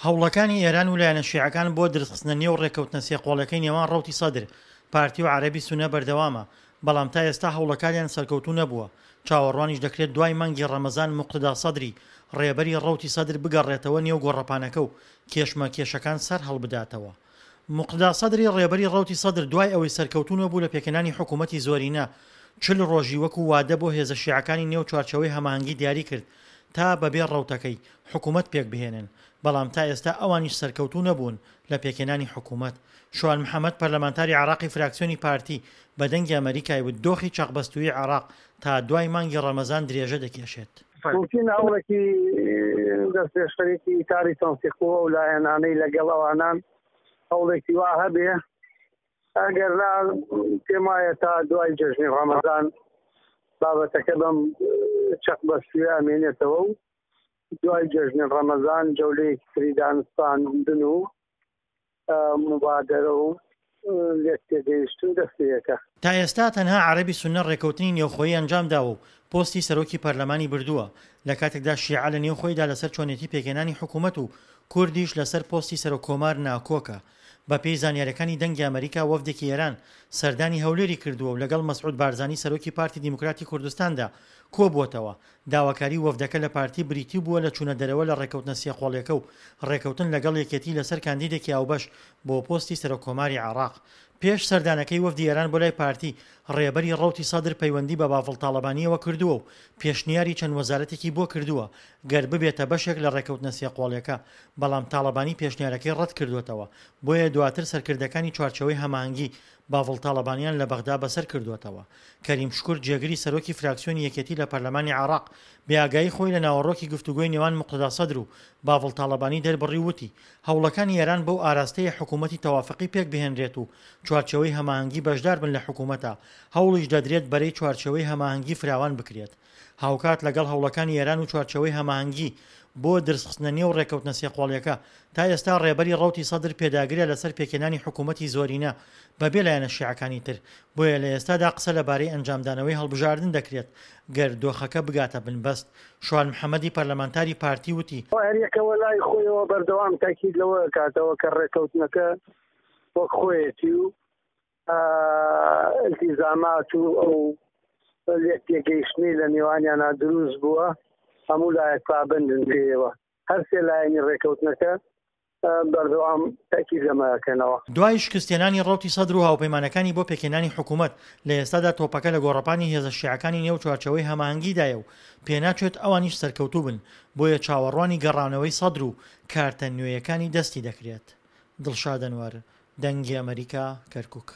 هەوڵەکانی ئێران و لایەنە شیعەکان بۆ درزخستنە نێو ڕێککەوتنە سێقۆڵیەکەی نێوان ڕەوتی سەدر، پارتی و عەرەبی سوننە بەردەوامە، بەڵام تا ئێستا هەوڵەکانیان سەرکەوتوو نەبووە، چاوەڕوانیش دەکرێت دوای مانگی ڕەمەزان موقتەدا سەدری ڕێبەری ڕەوتی سەدر بگەڕێتەوە نێو گۆڕەپانەکە و کێشمەکێشەکان سەرهەڵبداتەوە. موقتەدا سەدری ڕێبەری ڕەوتی سەدر دوای ئەوەی سەرکەوتوو نەبوو لە پێکهێنانی حکوومەتی زۆرینە، 40 ڕۆژی وەکو وادە بۆ هێزە شیعەکانی نێو چوارچێوەی هەماهەنگی دیاری کرد تا بەبێ ڕەوتەکەی، حکوومەت پێکبهێنن، بەڵام تا ئێستا ئەوانیش سەرکەوتوو نەبوون لە پێکهێنانی حکوومەت. شوان محەمەد پەرلەمانتاری عێراقی فراکسیۆنی پارتی بە دەنگی ئەمەریکای وت دۆخی چەقبەستوویی عێراق تا دوای مانگی ڕەمەزان درێژە دەکێشێت. مومکینە هەوڵێکی دەستپێشخەرێکی ئیتاری تەنسیق و ئەو لایەنانەی لەگەڵ ئەوانان هەوڵێکی وا هەبێ ئەگەر نا پێم وایە تا دوای جەژنی ڕەمەزان بابەتەکە بەم چەق بەستوێ ئەمێنێتەوە و دوای جەژنی ڕەمەزان جەولەیەکی تری دانوستاندن و موبادەرە و لێکتێگەیشتن دەست پێ ئەکا. تا ئێستا تەنها عەرەبی سوننە ڕێکەوتنی نێوخۆیی ئەنجامداوە و پۆستی سەرۆکی پەرلەمانی بردووە، لە کاتێکدا شیعە لە نێوخۆیدا لەسەر چۆنێتی پێکهێنانی حکوومەت و کوردیش لەسەر پۆستی سەرۆک کۆمار ناکۆکە. بەپێی زانیاریەکانی دەنگی ئەمەریکا وەفدێکی ئێران سەردانی هەولێری کردووە و لەگەڵ مەسعود بارزانی سەرۆکی پارتی دیموکراتی کوردستاندا کۆبووەتەوە، داواکاری وەفدەکە لە پارتی بریتی بووە لە چوونە دەرەوە لە ڕێکەوتنە سێقۆڵیەکە و ڕێکەوتن لەگەڵ یەکێتی لەسەر کاندیدێکی هاوبەش بۆ پۆستی سەرۆککۆماری عێراق. پێش سەردانەکەی وەفدی ئێران بۆ لای پارتی، ڕێبەری ڕەوتی سەدر پەیوەندی بە بافڵ تاڵەبانییەوە کردووە و پێشنیاری چەند وەزارەتێکی بۆ کردووە گەر ببێتە بەشێک لە ڕێکەوتنە سێقۆڵیەکە، بەڵام تاڵەبانی پێشنیارەکەی ڕەتکردووەتەوە، بۆیە دواتر سەرکردەکانی چوارچێوەی هەماهەنگی بافڵ تاڵەبانیان لە بەغدا بەسەر کردووەتەوە. کەریم شکور جێگری سەرۆکی فراکسیۆنی یەکێتی لە پەرلەمانی عێراق، بێئاگایی خۆی لە ناوەڕۆکی گفتوگۆی نێوان موقتەدا سەدر و بافڵ تاڵەبانی دەربڕی و وتی، هەوڵەکانی ئێران بەو ئاراستەیە حکوومەتی تەوافقی پێکبهێنرێت و چوارچێوەی هەماهەنگی بەشدار بن لە حکوومەتا، هەوڵیش دەدرێت بەرەی چوارچێوەی هەماهەنگی فراوان بکرێت. هاوکات لەگەڵ هەوڵەکانی ئێران و چوارچێوەی هەماهەنگی بۆ درزخستنە نێو ڕێککەوتنە سێقۆڵیەکە، تا ئێستا ڕێبەری ڕەوتی سەدر پێداگرە لەسەر پێکهێنانی حکوومەتی زۆرینە بەبێ لایەنە شیعەکانی تر، بۆیە لە ئێستادا قسە لەبارەی ئەنجامدانەوەی هەڵبژاردن دەکرێت گەر دۆخەکە بگاتە بنبەست. شوان محەمەدی پەرلەمانتاری پارتی وتی، هەریەکەوە لای خۆیەوە بەردەوام تاکید لەوە ئەکاتەوە کە ڕێککەوتنەکە وەک خۆیەتی و ئیلتیزامات و ئەو لێکتێگەیشتنەی لە نێوانیانا دروست بووە هەموو لایەک پابەندن پێیەوە. هەرسێ لایەنی ڕێکەوتنەکە بەردەوام تەئکید لەمە ئەکەنەوە. دوای شکستهێنانی ڕەوتی سەدر و هاوپەیمانەکانی بۆ پێکهێنانی حکوومەت، لە ئێستادا تۆپەکە لە گۆڕەپانی هێزە شیعەکانی نێو چوارچێوەی هەماهەنگیدایە و پێناچێت ئەوانیش سەرکەوتوو بن، بۆیە چاوەڕوانی گەڕانەوەی سەدر و کارتە نوێیەکانی دەستی دەکرێت. دڵشاد ئەنوەر، دەنگی ئەمەریکا، کەرکوک.